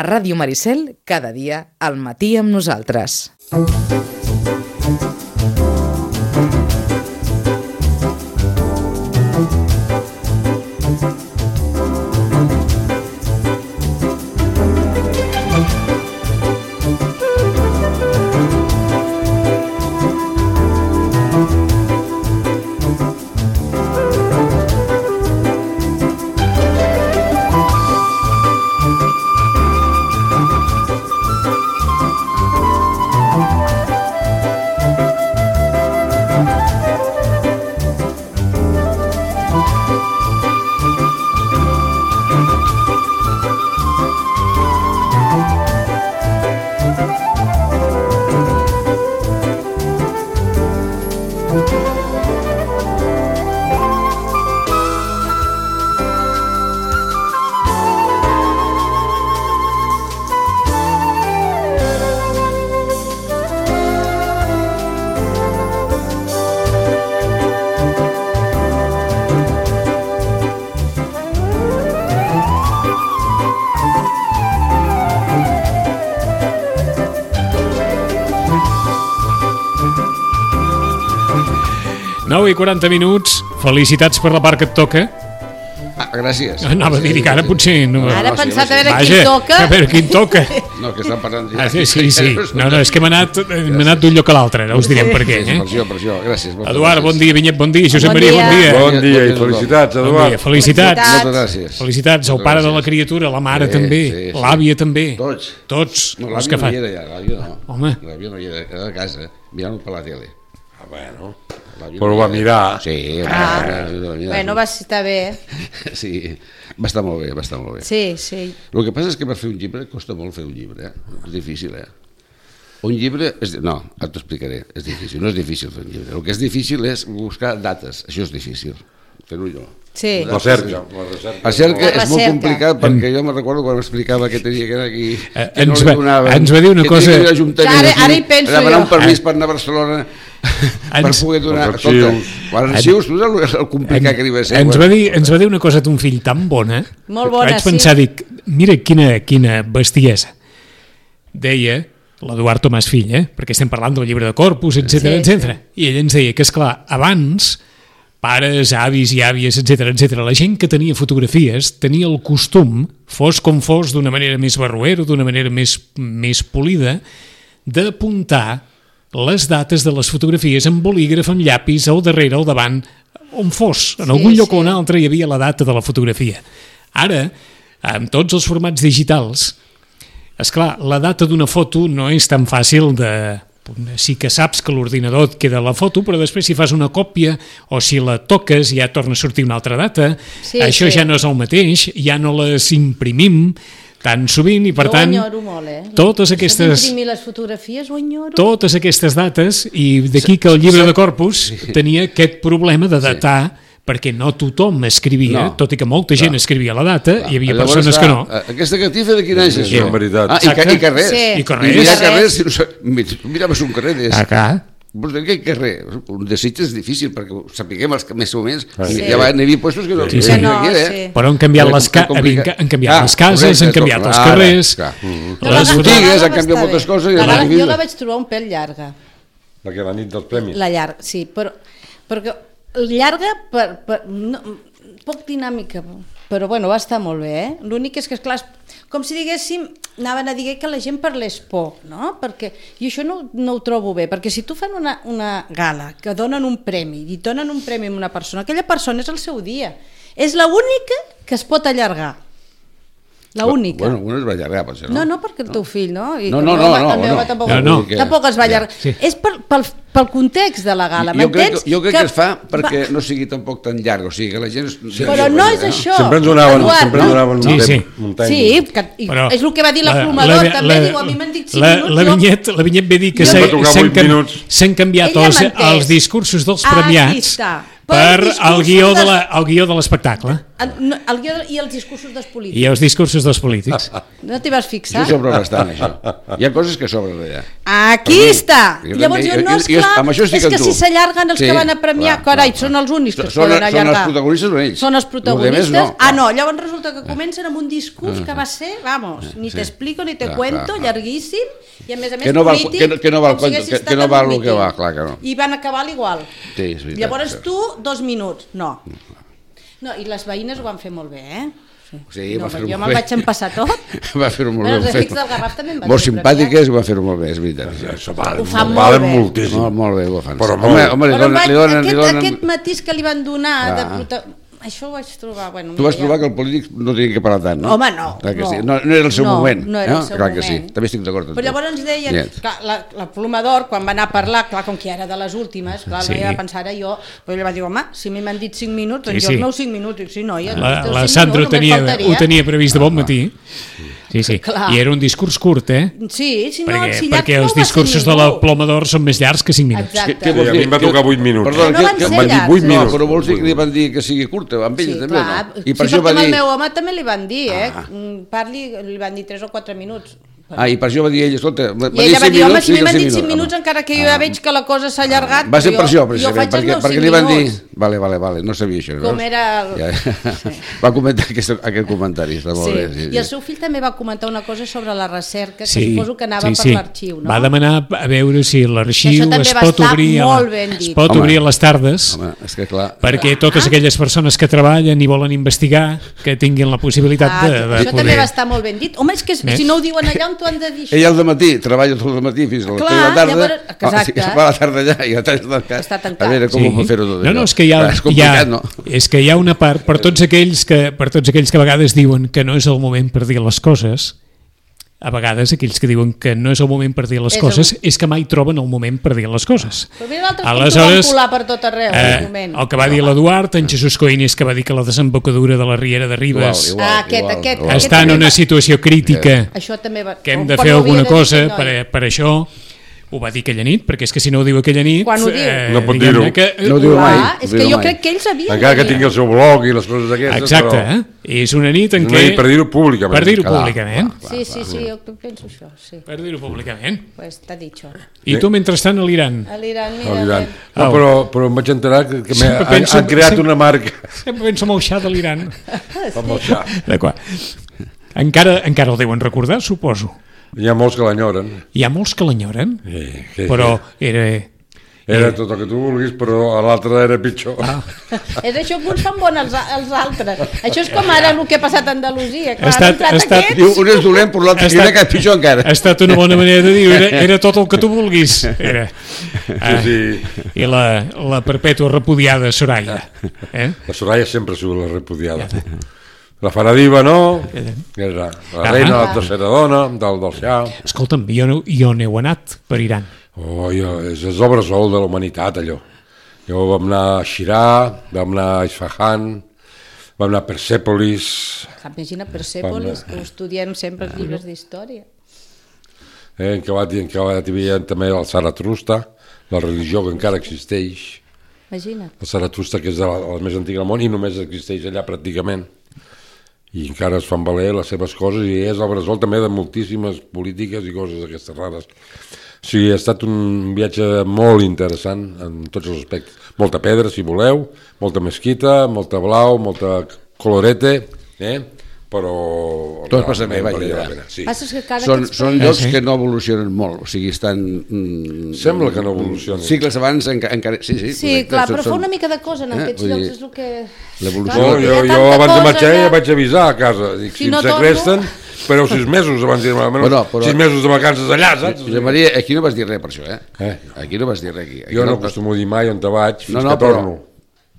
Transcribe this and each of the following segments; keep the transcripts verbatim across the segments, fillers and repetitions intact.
A Ràdio Maricel, cada dia al matí amb nosaltres. nou i quaranta minuts, felicitats per la part que et toca. Ah, gràcies. Anava a dir que ara potser... No, ara he pensat a veure Vaja, quin toca. a veure quin toca. No, que estan parlant... Ah, sí, sí, sí. No, no, és que hem anat, hem anat d'un lloc a l'altre, no us direm per què. Sí, Eh? per això, per això, gràcies. Eduard, bon dia, Vinyet, bon dia, Josep Bon Maria, dia. bon dia. Bon dia i felicitats, Bon Eduard. dia, felicitats. Moltes gràcies. Felicitats al pare de la criatura, la mare Sí, també, sí, sí. l'àvia també. Tots. Tots. No, els l'àvia que no fan. hi era ja, l'àvia no. Home. L'àvia no hi era, era a casa, mirant per la tele. Ah, bueno. L'àvia Però no ho hi va era. mirar. Sí, Ah. va, va, va mirar. Bueno, va estar bé. Sí, va estar molt bé, va estar molt bé. Sí, sí. El que passa és que per fer un llibre costa molt fer un llibre, eh? És difícil, eh? Un llibre... És... No, ara t'ho explicaré, és difícil, no és difícil fer un llibre. El que és difícil és buscar dates, això és difícil, fer-ho jo. Sí. La cerca. La recerca. La cerca La és molt recerca. complicat perquè jo me'n recordo quan m'explicava que tenia que anar aquí, Eh, que ens no va- li donaven, ens va dir una que cosa- tenia que ir a l'Ajuntament Ara- aquí, ara hi penso a demanar jo. un permís per anar a Barcelona per Ens- poder donar... Els arxius. Quan els arxius, tu saps el complicat que li va ser? ens, va Bueno, dir, ens va dir una cosa ton fill tan bona. Molt bona, Vaig pensar, sí. dic, mira quina, quina bestiesa. Deia, l'Eduard Tomàs fill, eh? Perquè estem parlant del llibre de Corpus, etcètera, Sí, etcètera. I ell ens deia que, esclar, abans, pares, avis i àvies, etcètera, etcètera, la gent que tenia fotografies tenia el costum, fos com fos, d'una manera més barroera, d'una manera més, més polida, d'apuntar les dates de les fotografies amb bolígraf, amb llapis, al darrere, al davant, on fos, en Sí, algun lloc sí. o un altre hi havia la data de la fotografia. Ara, amb tots els formats digitals, esclar, la data d'una foto no és tan fàcil de... Sí que saps que l'ordinador et queda la foto, però després si fas una còpia o si la toques ja torna a sortir una altra data. Sí, Això sí. ja no és el mateix, ja no les imprimim tan sovint i per Jo tant ho enyoro molt, eh? totes Això aquestes, d'imprimir les fotografies ho enyoro. totes aquestes dates, i d'aquí que el llibre de Corpus tenia aquest problema de datar, perquè no tothom escrivia, No. tot i que molta gent Clar. escrivia la data, hi havia Llavors, persones que no. clar, Aquesta catifa de quin any és Sí, això? en veritat. Ah, i, ca- i carrers. Sí. I carrers. I mirar Carrers. carrers, si no sa- mi- tu miraves un carrer des... Acá. Vols dir que carrer? Un de Sitges és difícil, perquè ho sapiguem els que més o menys. Sí. Ja va, n'hi havia puestos que no... Sí, sí. que No, era, sí. eh? Però han canviat, Era les, ca complicat. han, han canviat Ah, les cases, correcte, han canviat tot, els clar, carrers, clar. No, les la gala- botigues... botigues la gala han canviat està moltes bé. coses i La la gala, vida- jo la vaig trobar un pèl llarga. Perquè la nit dels premis. La llarga, sí, però perquè llarga per, per no, poc dinàmica, però bueno, va estar molt bé, eh? L'únic és que, esclar, com si diguéssim, anaven a dir que la gent parlés poc, no? Perquè, i això no, no ho trobo bé, perquè si tu fan una, una gala que donen un premi, i donen un premi a una persona, aquella persona és el seu dia, és l'única que es pot allargar. La única. Bueno, una es va allargar, potser, no? No, no, perquè el teu fill, no? I No, el no, meu no, home- no, el meu no. home tampoc, No, no. tampoc es va allargar. Ja, sí. És per, pel, pel context de la gala, Jo crec, m'entens? jo crec que, es fa perquè no sigui tampoc tan llarg, o sigui, que la gent... Però no és això. Sempre ens donaven, Eduard, sempre ens no? donaven Sí, un sí. temps, un temps. Sí, que, i Però és el que va dir la- l'aplomador, la- també, la- diu, a mi m'han dit cinc la, minuts. la jo- Vinyet, la Vinyet ve dir que Jo- s'han Em va tocar s'han vuit cam- minuts. s'han canviat Ella els, m'ha entès. els discursos dels Ah, aquí premiats està. per Pel el discurs guió de de- la- el guió de l'espectacle. El, no, el guió i els discursos dels polítics. I els discursos dels polítics. No t'hi vas fixar? Això sobra bastant, això. Hi ha coses que sobren allà. Aquí Per mi, està! jo Llavors també- jo, no, jo- jo- esclar, amb això estic és que amb tu. si s'allarguen els Sí, que van a premiar, clar, carai, clar, són els únics que Són- es poden són els allargar. protagonistes són ells. Són els Los protagonistes. demés no. Ah, no, llavors resulta que comencen amb un discurs que va ser, vamos, ni Sí. t'explico ni te Clar, cuento, clar, clar. llarguíssim, i a més a més Que no val- polític, que no- que no val com si compte- haguessis que- estat que no en val un el que míting. va, clar que no. I van acabar a l'igual. Sí, és veritat, Llavors sí. tu, dos minuts. No. No, i les veïnes ho van fer molt bé, eh? Sí, no, va fer-ho jo molt me'l bé. vaig empassar tot. Va fer-ho molt Bueno, bé. els amics del Garraf també em van Molt fer simpàtiques i va fer-ho molt bé, és veritat. Això val, Ho fa molt valen bé. moltíssim. Molt, molt bé, ho fan. Però home, molt. home, li Però donen, vaig, li donen, li aquest, donen... aquest matís que li van donar, de Ah. prota... això ho vaig trobar... Bueno, Tu vas mira, trobar ja. que el polític no tenia que parlar tant, no? Home, no, Clar que no. sí. no, no era el seu No, moment. no era el seu Clar que moment. sí, també estic d'acord amb Però tu. llavors ens deien, Net. clar, la, la Plomador, quan va anar a parlar, clar, com que era de les últimes, clar, Sí. no hi va pensar ara jo, però ella va dir, home, si a mi m'han dit cinc minuts, Sí, doncs sí. jo els meus cinc minuts, dic, sí, noia, La, els teus la cinc Sandra ho minuts, només tenia, faltaria. ho tenia previst de bon matí. Sí, sí. Clar. I era un discurs curt, eh? Sí, si no, perquè si llarg perquè no els ho va ser discursos de ningú. la Plomador són més llargs que cinc minuts. Exacte. Què- què vols Sí, a mi dir? em va tocar vuit minuts. Perdona, No que, van que, ser van dir llargs, vuit eh? minuts. No, però vols dir que li van dir que sigui curta, amb ell Sí, també, clar. no? I Sí, per això perquè va amb el dir... meu home també li van dir, eh? Ah. Mm, Parli, li van dir tres o quatre minuts. Ah, i per això va dir ell, escolta... va I dir ella va cinc dir, home, minuts, si a mi digue m'han cinc dit cinc minuts, home. encara que jo ja veig que la cosa s'ha allargat... Va ser però per això, jo precisament, faig els perquè, meus perquè cinc li van dir... minuts. Vale, vale, vale, no sabia això. Com veus? era el- Ja. Sí. Va comentar aquest, aquest comentari, està molt Sí. bé. Sí, I el sí. seu fill també va comentar una cosa sobre la recerca, que Sí, suposo que anava sí, per sí. l'arxiu, no? Va demanar a veure si Que l'arxiu això també es va pot estar obrir, a, molt ben es dit. pot Home. obrir a les tardes, Home, és que clar... perquè totes aquelles persones que treballen i volen investigar, que tinguin la possibilitat Ah, de, de això també poder... va estar molt ben dit. Home, és que Eh? si no ho diuen allà, on t'ho han de dir? Ell al matí treballa tot el matí fins a les Clar, tres de la tarda. llavors- exacte. Ah, sí, va a la tarda allà i a tres tancat. Està tancat. A veure com Sí. ho pot fer-ho tot No, això. no, és que hi ha, Clar, és hi complicat, ha, no? és que hi ha una part, per tots aquells que, per tots aquells que a vegades diuen que no és el moment per dir les coses, a vegades aquells que diuen que no és el moment per dir les És coses, el- és que mai troben el moment per dir les coses. Però mira l'altre com t'ho van colar per tot arreu, eh, el moment. el que va dir l'Eduard, en Jesús Coines, que va dir que la desembocadura de la Riera de Ribes Igual, Ah, aquest, igual, aquest, igual. aquest està en també una va- situació crítica, Això també va... que hem quan de ho fer havia alguna de dir cosa aquest noi. per, per això. Ho va dir aquella nit, perquè és que si no ho diu aquella nit... Quan ho diu? No pot diguem-ne dir-ho. Que, No ho diu mai. Clar, és ho que diu jo mai. crec que ells havien Encara de que dir. tingui el seu blog i les coses aquestes, Exacte, però... eh? És una nit en No, què... i per dir-ho públicament. Per dir-ho Clar, públicament. clar. Sí, sí, sí, jo penso això, sí. Per dir-ho públicament. Pues t'ha dicho. I tu, mentrestant, a l'Iran. A l'Iran, No, mira, Iran. nen. No, Au. però, però em vaig enterar que, que Sempre han, penso- han creat sempre- una marca Sempre penso en el xà de l'Iran. amb el xà. D'acord. Encara, encara el deuen recordar, suposo. Hi ha molts que l'enyoren. Hi ha molts que l'enyoren, Sí, sí, però era... Era tot el que tu vulguis, però a l'altre era pitjor. Ah. És això que uns fan bon els, els altres. Això és com ara el que ha passat a Andalusia. Clar, Ha estat- han entrat ha estat- aquests... Diu, un és dolent, però l'altre Ha queda estat- que és pitjor encara. Ha estat una bona manera de dir, era, era tot el que tu vulguis. Era. Ah, sí. I la, la perpètua repudiada Soraya. Eh? La Soraya sempre ha sigut la repudiada. La Faradiva, no? Era la reina, Ah. la tercera dona, del, del xà. Escolta'm, jo, no- jo n'heu anat per Iran. Oh, jo, és, és l'obresol de la humanitat, allò. Jo vam anar a Shirà, vam anar a Isfahan, vam anar a Persèpolis, Imagina Persèpolis, que ho estudiem sempre els llibres d'història. eh, en Cavat i en Cavat hi havia també el Zaratrusta, la religió que encara existeix, Imagina't. el Zaratrusta, que és de la, la més antiga del món i només existeix allà pràcticament. I encara es fan valer les seves coses i és el bressol també de moltíssimes polítiques i coses d'aquestes rares. O sigui, ha estat un viatge molt interessant en tots els aspectes. Molta pedra, si voleu, molta mesquita, molta blau, molta colorete, eh? però... Tot es passa bé, realment vaja, valia la ja. pena, sí. Passa que cada Són, aquests són països- llocs Ah, sí? que no evolucionen molt, o sigui, estan... Mm, Sembla que no evolucionen. Segles abans enca, encara... Sí, sí, Sí, correcte, clar, són- però fa són- una mica de cosa en Eh, aquests vull llocs, dir, és el que... l'evolució- No, Clar, hi jo, ha jo tanta abans de cosa marxar ja allà. vaig avisar a casa. Dic, Si si, no em torno- segresten, espereu sis mesos abans de dir almenys Bueno, però- sis mesos de vacances allà, saps? Josep Maria, aquí no vas dir res per això, eh? Eh? Aquí no vas dir res, aquí. aquí Jo no acostumo a dir mai on te vaig fins No, no, que però- torno.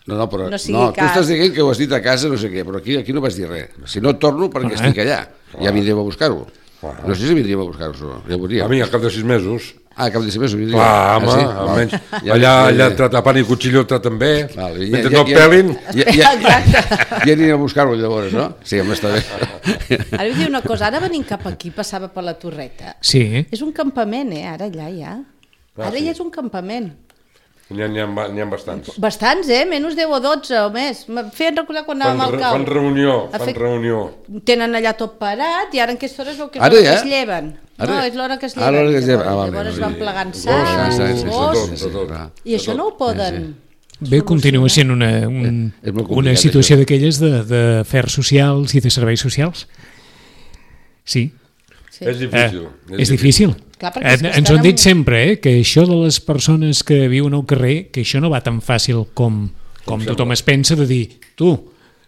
No, no, però No no, sigui no tu cas. estàs dient que ho has dit a casa, no sé què, però aquí, aquí no vas dir res. Si no torno, perquè Ah, estic allà. Ja vindríem a buscar-ho. Clar. No sé si vindríem a buscar-ho, ja ho A veuríem. mi, al cap de sis mesos, Ah, cap de ser més ho vindríem. clar, home, Ah, sí? almenys, Val. allà, ja, allà ja, trata pan i cuchillo el traten bé, Val, ja- mentre ja- no ja- pelin, Ja, ja, Exacte. ja anirem a buscar-ho llavors, no? Sí, home, està bé. Ara vull dir una cosa, ara venint cap aquí, passava per la Torreta. Sí, És un campament, eh, ara allà ja. Ara ja és un campament. N'hi ha, n'hi ha, n'hi ha bastants. Bastants, eh? Menys deu o dotze o més. Em feien recordar quan Fan, anàvem al re, cau. fan reunió, Ha fan fet- reunió. Tenen allà tot parat i ara en aquesta hora es veu que és Ara l'hora ja? que es lleven. Ara? No, és l'hora que es Ah, lleven. l'hora que es lleven. Ah, Llavors, val, llavors val, van val. plegant Gos, sang, sí, sí, sí, gos, tot, tot, tot. Ah. i això no ho poden... Bé, continua sent una, un, És molt una complicat, situació això. d'aquelles de, de afers socials i de serveis socials. Sí. Sí. És difícil. Eh, és difícil. Clar, perquè és que Eh, Ens ho estan han dit amb- sempre, eh, que això de les persones que viuen al carrer, que això no va tan fàcil com, com tothom es pensa de dir, tu...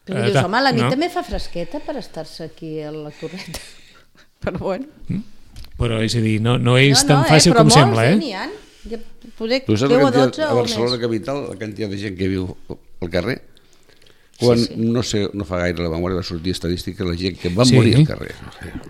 Però eh, dius, ta- home, la nit no? també fa fresqueta per estar-se aquí a la torreta. Però bueno. Però és a dir, no, no és no, tan no, fàcil eh, però com molts, sembla, eh? eh? N'hi ha. Ja, poder Tu saps deu la o dotze quantitat, a o Barcelona més. capital, la quantitat de gent que viu al carrer? Quan, Sí, sí. no sé, no fa gaire la memòria va sortir estadística la gent que van Sí. morir al carrer.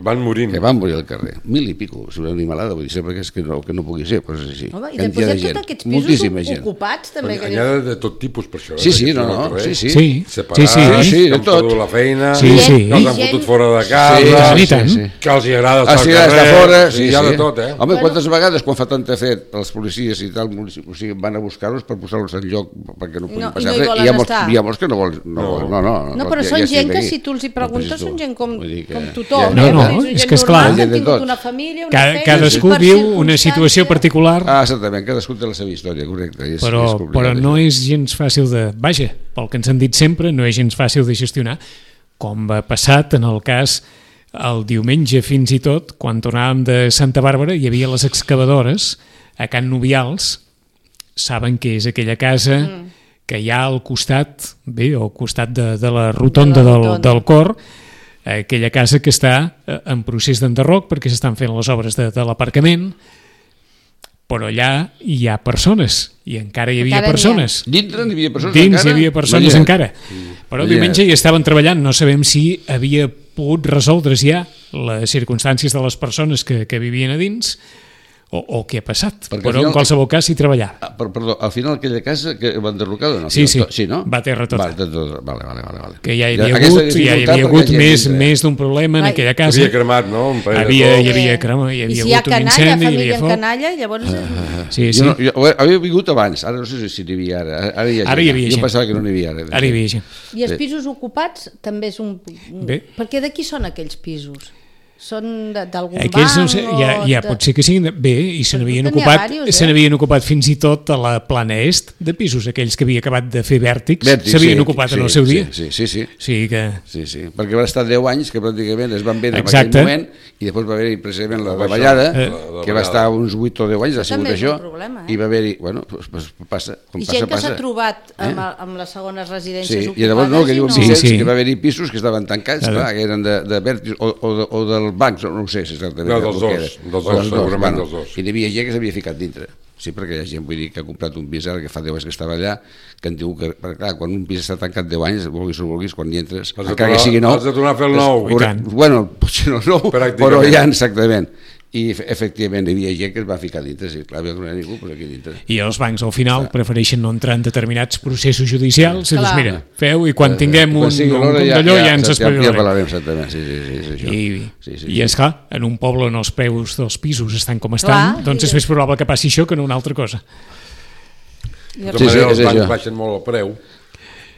Van morint. Que van morir al carrer. Mil i pico, si una animalada, vull dir, sempre que, és que, no, que no pugui ser, però és així. Home, I Quantitat després de hi ha gent, tots aquests pisos moltíssima gent. ocupats també. Que N'hi ha de, de tot tipus per això. eh, Sí, sí, que no, viuen al no, carrer. sí, sí. Sí, Separats, sí, sí. sí, que de han tot. perdut la feina, Sí, que sí. els han Gent- fotut fora de Sí, casa, i sí, tant. sí. que els hi agrada Ah, estar sí, al des carrer. de fora, sí, hi ha sí. de tot, eh? Home, quantes vegades quan fa tanta fet els policies i tal, o sigui, van a buscar-los per posar-los en lloc perquè no puguin No, i passar no hi res, volen hi ha molts, estar. hi ha molts que no volen, no, No. volen, no, no, No, però ja- són ja gent que estic si aquí. tu els hi No, preguntes pues és són tu. gent com, Vull dir que- com tothom. No, eh? no, Vull dir, és gent que és clar. normal, Gent Han de tingut tot. una família, una Cada, feina, cadascú per viu una situació circumstància. particular, Ah, exactament, cadascú té la seva història, correcte. És, però, és complicat, però no això. és gens fàcil de... Vaja, pel que ens han dit sempre, no és gens fàcil de gestionar, com va passat en el cas el diumenge fins i tot, quan tornàvem de Santa Bàrbara, hi havia les excavadores a Can Nubials, saben que és aquella casa mm. que hi ha al costat, bé, al costat de, de la rotonda, De la del, rotonda. del cor, aquella casa que està eh, en procés d'enderroc perquè s'estan fent les obres de, de l'aparcament, però allà hi ha persones, i encara hi havia Encara n'hi ha. persones. Dintre n'hi havia persones Dins encara? hi havia persones Imagina't. encara. Però Imagina't. diumenge hi estaven treballant, no sabem si havia pogut resoldre's ja les circumstàncies de les persones que, que vivien a dins o, o què ha passat. Perquè al Però final- en qualsevol cas s'hi treballava. Ah, per, perdó, al final aquella casa que va enderrocar o no? Sí, sí. sí no? Va terra tota. Va, tot, tot, vale, vale, vale, vale. Que ja hi havia Aquesta hagut, ja hi dificultat havia perquè hagut hi ha més, gent, eh? més d'un problema en Ai. aquella casa. Havia cremat, no? Un parell de Havia, cops. hi havia, crema, hi I havia si hi ha hagut un canalla, incendi, hi família havia en foc. canalla, llavors... Sí, sí. Jo, no, jo, havia vingut abans, ara no sé si n'hi havia ara. Ara hi ha gent. Ara hi havia jo gent. pensava que no n'hi havia ara. Ara hi havia gent. I els pisos ocupats també és un... Bé. Perquè de qui són aquells pisos? Són de- d'algun Aquells, banc? no sé, ja, ja de... pot ser que siguin... de- Bé, i se Però n'havien n'hi ha ocupat, diversos, se eh? n'havien ocupat fins i tot a la plana est de pisos, aquells que havia acabat de fer vèrtics, Vèrtics, s'havien sí, ocupat sí, en el seu dia. Sí, sí, sí. O sigui que... Sí, sí, perquè van estar deu anys que pràcticament es van vendre Exacte. en aquell moment i després va haver-hi precisament la La baixada, davallada, eh. la que va davallada. estar uns vuit o deu anys, ha sigut també és això, un problema, eh? i va haver-hi, bueno, pues, pues passa, com I passa, gent que s'ha passa. trobat amb, el- amb les segones residències Sí, ocupades i llavors no, que diuen Sí, Vicenç, sí. que va haver-hi pisos que estaven tancats, Claro. clar, que eren de, de vèrtics o, o, de, o del banc, no ho sé si exactament. No, el dels que dos, era. dels O dos, segurament dels dos. I n'hi havia gent que s'havia ficat dintre. Sí, perquè hi ha gent, vull dir, que ha comprat un pis ara que fa deu anys que estava allà, que en diu que, perquè, clar, quan un pis està tancat deu anys, vulguis o no vulguis, quan hi entres, Has de encara que tornar- sigui nou... has de tornar a fer el nou. I tant. Bueno, potser no nou, Pràcticament. però ja, exactament. I efe- efectivament hi havia gent que es va ficar dintre, sí, clar, no hi ha ningú, però aquí dintre. I els bancs al final prefereixen no entrar en determinats processos judicials i Clar. doncs mira, feu i quan tinguem un, Quan sigui un l'hora punt ja- d'allò ja, ja- ens ja- ja espavilarem. parlarem, exactament, sí, sí, sí, és això. I, Sí, sí, i sí. és clar, en un poble on els preus dels pisos estan com estan, Clar, doncs i- és més probable que passi això que no una altra cosa. De tota Sí, sí, manera, és els bancs això. baixen molt el preu,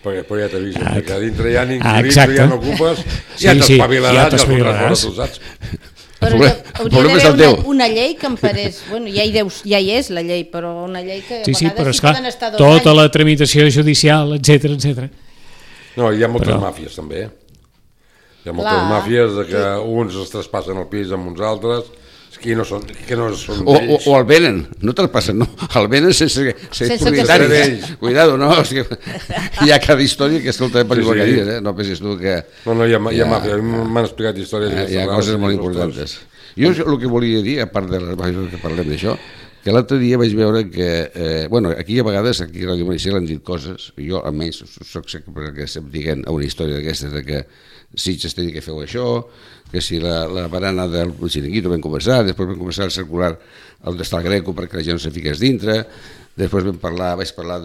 perquè però ja t'avisen, Ah, que a dintre ja n'inquilins, ah, tu exacte. ja no ocupes, Sí, ja sí, t'espavilaràs, ja ja t'espavilaràs. t'espavilaràs, tu saps? Però problema- hauria el problema és d'haver el una, teu. una llei que emparés... Bueno, ja hi, deus, ja hi és la llei, però una llei que a Sí, sí, vegades però hi esclar, poden estar dos tota anys. la tramitació judicial, etc etc. No, hi ha moltes Però- màfies també, eh? Hi ha moltes Clar. màfies de que uns es traspassen el pis amb uns altres, que no són, que no són O, o, d'ells. o el venen, no te'l passen, no, el venen sense ser Sense que propietaris. sigui. Cuidado, no, o sigui, hi ha cada història que escolta per Sí, igual sí. que dius, eh? No pensis tu que No, no, hi ha, hi ha Ja. màfies, a mi m'han explicat històries. hi ha, hi ha d'aquestes coses rares, molt ostres. importants. Jo el que volia dir, a part de les coses que parlem d'això, que l'altre dia vaig veure que, eh, bueno, aquí a vegades, aquí a Ràdio Maricel han dit coses, jo almenys soc sempre perquè estem dient una història d'aquestes, de que Sitges tenia que fer això, que si la, la barana del xiringuito vam conversar, després vam començar a circular on està el Greco perquè la gent no se fiqués dintre, després vam parlar, vaig parlar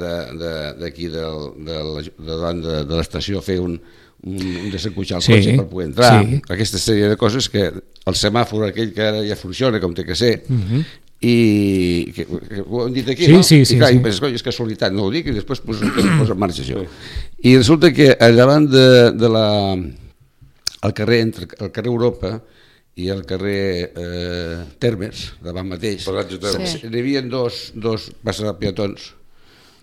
d'aquí de, de, de, de, de, davant de, de l'estació, fer un, un, un desencutxar el Sí, cotxe per poder entrar, sí. aquesta sèrie de coses que el semàfor aquell que ara ja funciona com té que ser, uh -huh. i que, que ho hem dit aquí, sí, no? Sí, sí, I clar, sí. i penses, coi, és casualitat, no ho dic, i després poso, poso en marxa això. I resulta que al davant de, de la, al carrer, entre el carrer Europa i el carrer eh, Termes, davant mateix, Sí. hi havia dos, dos passes de peatons.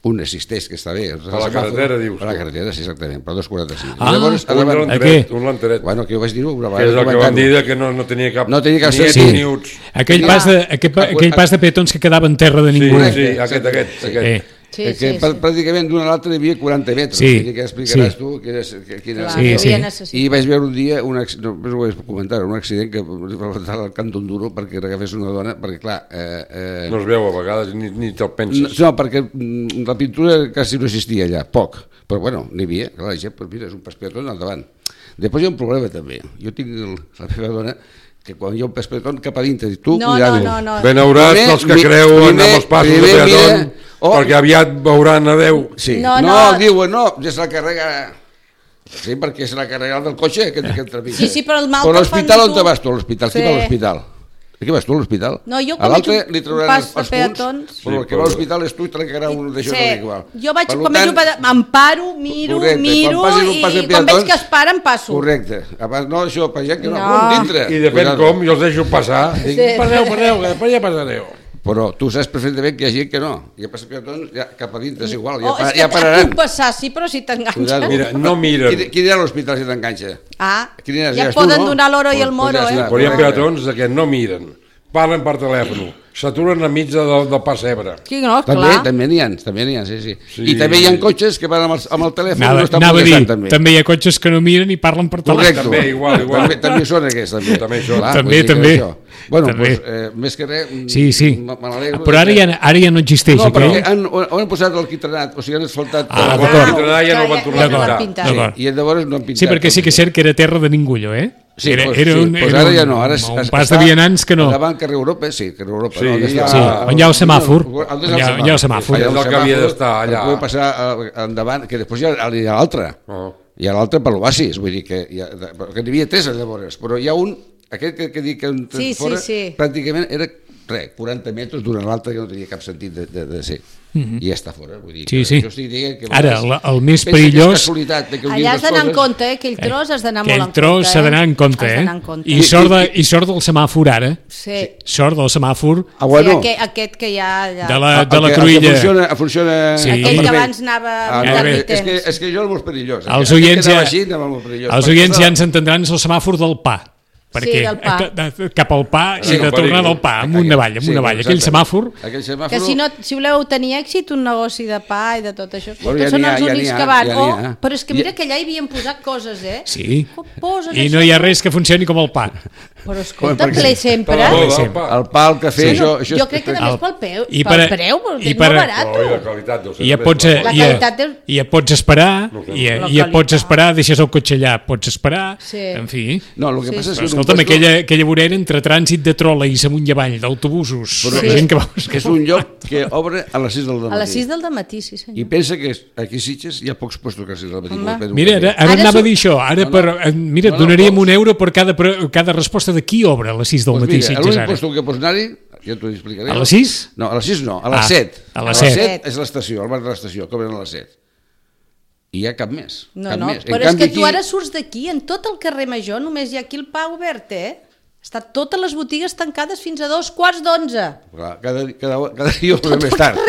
Un existeix, que està bé. A la carretera, dius A la tu. carretera, sí, exactament, per dos quaranta-cinc. Ah, llavors, Un davant, lanteret, un lanteret. bueno, que jo vaig dir-ho una Que és el que comentant-ho. vam dir que no, no tenia cap... No tenia cap ni sentit. et ni uts. Aquell, Tenia- pas de, aquell, pa- aquell pas de petons que quedava en terra de Sí, ningú. sí, aquest, aquest, aquest. Eh, Sí, que sí, sí. pr- pràcticament d'una a l'altra hi havia quaranta metres. Sí, Vull dir que explicaràs sí. tu quina és, que- quina Clar, és. Sí, hi sí. havia necessitat. I vaig veure un dia, un acc- no, no ho vaig comentar, un accident que va faltar al camp d'un duro perquè agafés una dona, perquè clar... Eh, eh, No es veu a vegades, ni, ni te'l no, penses. no, perquè mm, la pintura quasi no existia allà, poc, però bueno, n'hi havia, clar, la gent, pues mira, és un pas peatón al davant. Després hi ha un problema també, jo tinc el, la meva dona, que quan hi ha un pas peatón cap a dintre, dic, tu, No, cuidado. no, no, no. Ben hauràs Primer, dels que mi- creuen primer- amb els passos de primer peatón, mira- oh. perquè aviat veuran a Déu. Sí. No, No, no. no, diuen, no, ja se la carrega... Sí, perquè se la carrega el del cotxe, aquest, aquest trepitja. Sí, sí, però el mal Però a que fan l'hospital on tu- te vas tu, a l'hospital? Qui Sí. va a l'hospital? Qui vas tu a l'hospital? No, jo a quan l'altre veig un li trauran pas els, de els punts, peatons- però el Sí, que va a però- l'hospital és tu i te l'encarà un d'això Sí. sí. igual. Jo vaig, Per quan veig un pas, m'emparo, miro, correcte, miro quan passis un pas de i quan veig peatons- que es paren passo. Correcte. Abans, no, això, per gent que no, No. no. dintre. I depèn Cuidado. com, jo els deixo passar. Dic, Sí. passeu, passeu, que després ja passareu. Però tu saps perfectament que hi ha gent que no. I a pas de peatons, ja, cap a dintre és igual, ja, Oh, pa- és que ja et pararan. puc passar, sí, però si Cuidado. t'enganxes... Mira, no miren. Qui, qui anirà a l'hospital si t'enganxa? Ah, Qui aniràs? ja Aniràs tu, poden no? donar l'oro i Pues- el moro, pues ja eh? està. Però hi ha Correcte. peatons que no miren, parlen per telèfon, s'aturen a mitja del, del pas Ebre. Sí, no, També, clar. també n'hi ha, també n'hi ha, sí, sí, Sí. I també hi ha cotxes que van amb el, amb el telèfon i Anava, no estan anava a dir, progressant, també. també hi ha cotxes que no miren i parlen per telèfon. Correcte. També, igual, igual. També, també són aquests, també. També això. Clar, També, vull dir que també. això. Bueno, També. doncs, eh, més que res, mm, Sí, sí. me me n'alegro Però de ara que- ja, ara ja no existeix No, perquè aquell. han, ho han posat l'alquitranat, o sigui, han asfaltat... Ah, tot. d'acord. El Quintana ja no el van Ja- tornar a ja no l'han pintar. pintat. D'acord. I llavors no han pintat. Sí, perquè sí que és cert que era terra de ningú, allò, eh? Sí, era, pues, era sí, un, pues era ara un, ja no, ara es- un es- pas està de vianants que no. Davant carrer Europa, sí, carrer Europa. Sí, no, on està- sí, on hi ha el semàfor. On hi ha el On hi ha- on hi ha el semàfor. Allà És el que havia d'estar allà. Per poder passar eh, endavant, que després hi ha, hi ha l'altre. Oh. Hi ha l'altre per l'Oasis, vull dir que, hi ha, que n'hi havia tres llavors, però hi ha un, aquest que, que dic que un Sí, sí, fora, sí. pràcticament era res, quaranta metres d'una a l'altra que no tenia cap sentit de, de, de ser. I ja està fora, vull dir. Sí, que sí. Jo estic dient que a Ara, vegades la- el més pensa que és perillós- casualitat de que un Allà dia has les d'anar en coses- compte, eh? Aquell tros has d'anar molt en Aquell compte. tros s'ha d'anar en compte, Has eh? d'anar en compte. I sort, de, I sort del semàfor ara. Sí. Sort del semàfor Ah, Sí, bueno, aquest, aquest que hi ha allà. de la, el de la que- el cruïlla. que funciona, funciona Sí. Aquell que perfecte. abans anava Ah, amb no, bé. és, que, temps. és que jo el molt perillós. Els Aquell que oients anava ja, així, anava molt perillós. els Perquè oients ja clar, ens entendran, és el semàfor del pa. Perquè del pa. ca- de- cap al pa Sí, i de el tornar perill. al pa, amunt avall, amunt sí, avall. Aquell exactament. semàfor, Aquell semàfor... Que si, no, si voleu tenir èxit, un negoci de pa i de tot això, Bueno, que ja són n'hi ha, els ja n'hi únics ha, que van. ja Oh, n'hi ha. però és que mira Ja- que allà hi havien posat coses, eh? sí. Com posen I això? no hi ha res que funcioni com el pa. Però escolta, perquè- ple sempre. Per la boda, Sí. el pa. El pa, el cafè, Bueno, això... això jo és- crec que només pel peu, I pel per- preu, perquè i és per- molt barat. Oh, i la qualitat deu ser I ja més, pots, però- La i ja, qualitat és- i ja pots esperar, No sé. i ja, La i ja pots qualitat. esperar, deixes el cotxe allà, pots esperar, Sí. en fi. No, el que Sí. passa és Però que... en un escolta'm, puesto- aquella, aquella vorera entre trànsit de trolleys amunt i avall, d'autobusos, Però la és- gent que va... És un lloc que obre a les sis del matí. A les sis del matí, sí senyor. I pensa que aquí a Sitges hi ha pocs puestos que a les sis del matí. Home. com el Pedro Mira, ara, Castells. ara Ara anava som- a dir això, ara No, no. per, eh, mira, No, no, donaríem pocs. un euro per cada, per cada resposta de qui obre a les sis del Doncs matí, mira, Sitges, l'únic ara. puesto que pots anar-hi, ja t'ho explicaré. A les sis? No, a les sis no, a les Ah, set. a les set. set és l'estació, el bar de l'estació, que obren a les set. I hi ha cap més. No, cap no, més. En però és canvi, que tu aquí- ara surts d'aquí, en tot el carrer Major, només hi ha aquí el pa obert, eh? Està totes les botigues tancades fins a dos quarts d'onze. Clar, cada, cada, cada dia ho veiem més tard.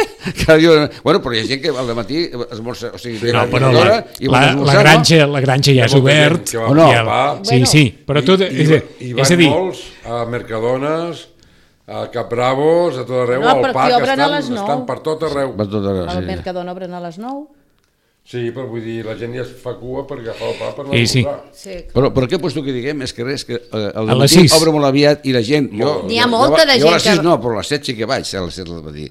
Cada dia... ho veiem- Bueno, però hi ha gent que al matí esmorza, o sigui, No, ve però a la, l'hora i vol la, la, esmorzar, granja, la granja ja és Hi ha molta gent obert. que va- O no? I el- Va. Sí, Bueno. sí, però tot... I, És, i, a- i és a van dir, molts a Mercadones, a Capbravos, a tot arreu, No, al però pa, aquí que obren a estan, les nou. estan per tot arreu. Va tot arreu, El sí. Mercadona obren a les nou. Sí, però vull dir, la gent ja es fa cua per agafar el pa per Sí, sí. l'almorzar. Sí. Però, però què puesto que diguem és que res, que eh, el A les matí sis. obre molt aviat i la gent... Jo, N'hi ha jo- molta jo, de Jo a les gent sis que- no, però a les set sí que vaig, a les set del matí.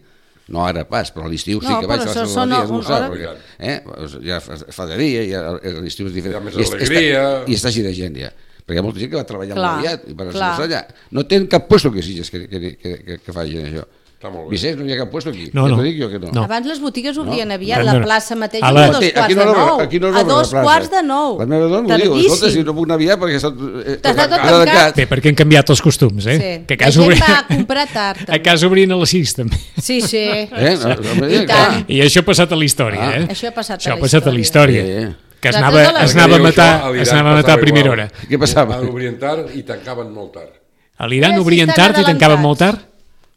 No ara pas, però a l'estiu sí No, que vaig però a les això set del són matí a un- esmorzar, hora- perquè eh, ja fa, fa de dia, ja, a l'estiu és diferent. Hi ha més I és- alegria. Està, I està així de gent ja. Perquè hi ha molta gent que va treballar Clar, molt aviat i per clar. esmorzar allà. No tenen cap puesto que sigues que, que, que, que, que facin això. Està molt bé. Vicenç, no hi ha cap puesto aquí. No, ja no. t'ho dic jo que no. No. Abans les botigues obrien No. aviat, No, la no. plaça mateix, A a la- dos Aquí- quarts aquí de no l'obre- nou. aquí no A l'obre la dos plaça. quarts de nou. La meva dona m'ho diu, escolta, si Tardíssim. no puc anar aviat perquè està... Eh, Està tot està tancat. tancat. Bé, perquè han canviat els costums, eh? Sí. Que a La casa gent obri... va a comprar tard, A també. casa obrien a les sis, també. Sí, sí. Eh? No, no, I tant. I això ha passat a la història, Ah. eh? Això ha passat a Això la ha passat a la història. Sí. Que es De anava, totes les- es anava a Perquè diu matar, això, a l'Iran es anava a matar a passava primera igual. hora. Què passava? Obrien tard i tancaven molt tard. A l'Iran Eh, sí, obrien estan tard i tancaven adelantats. molt tard?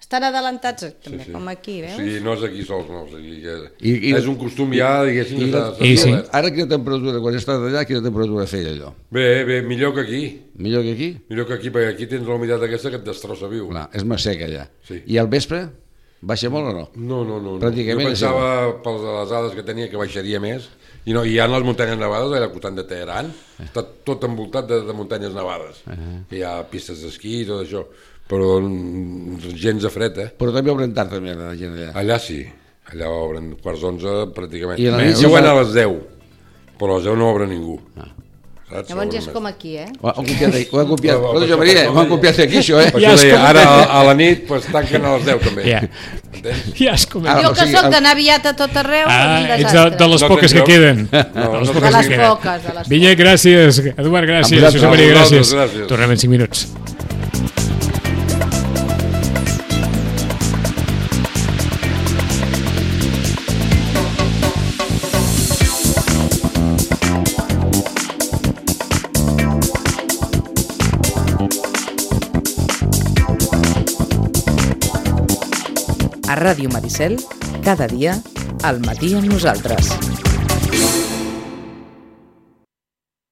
Estan adelantats, també, Sí, sí. com aquí, veus? O sigui, no és aquí sols, no. O sigui, que I- i- és un costum ja, diguéssim, I, que la, s'ha I sí. establert. Ara quina temperatura, quan estàs allà, quina temperatura feia allò? Bé, bé, millor que aquí. Millor que aquí? Millor que aquí, perquè aquí tens la humitat aquesta que et destrossa viu. Clar, és més sec allà. Sí. I al vespre, baixa molt o no? No, no, no. no. Pràcticament Jo és pensava, per les dades que tenia, que baixaria més. I no, hi ha les muntanyes nevades allà al costat de Teheran. Està tot envoltat de, de muntanyes nevades. Uh -huh. Hi ha pistes d'esquí i tot això. Però mm, gens de fred, eh? Però també obren tard, també, la gent allà. Allà sí. Allà obren quarts d'onze, pràcticament. I a la Bé, nit diuen s'ha- a les deu, però a les deu no obre ningú. Ah. Saps? Llavors ja és Obren com més. aquí, eh? Ho han copiat, ho han copiat. Però- Escolta, però jo, això Maria, per ho han això copiat aquí, això, eh? Per Ja això has deia, comentat. ara a, a la nit pues, tanquen a les deu també. Ja. Entens? Ja has comentat. Ah, Jo o que sigui, sóc el- d'anar aviat a tot arreu, Ah, un ets de, desastre. de les No poques tens que lloc? queden. No, de les no poques tens De que les queden. poques, de les Vinya, gràcies. Eduard, gràcies. Amb Josep Maria, vosaltres, gràcies. gràcies. Tornem en cinc minuts. A Ràdio Maricel, cada dia, al matí amb nosaltres.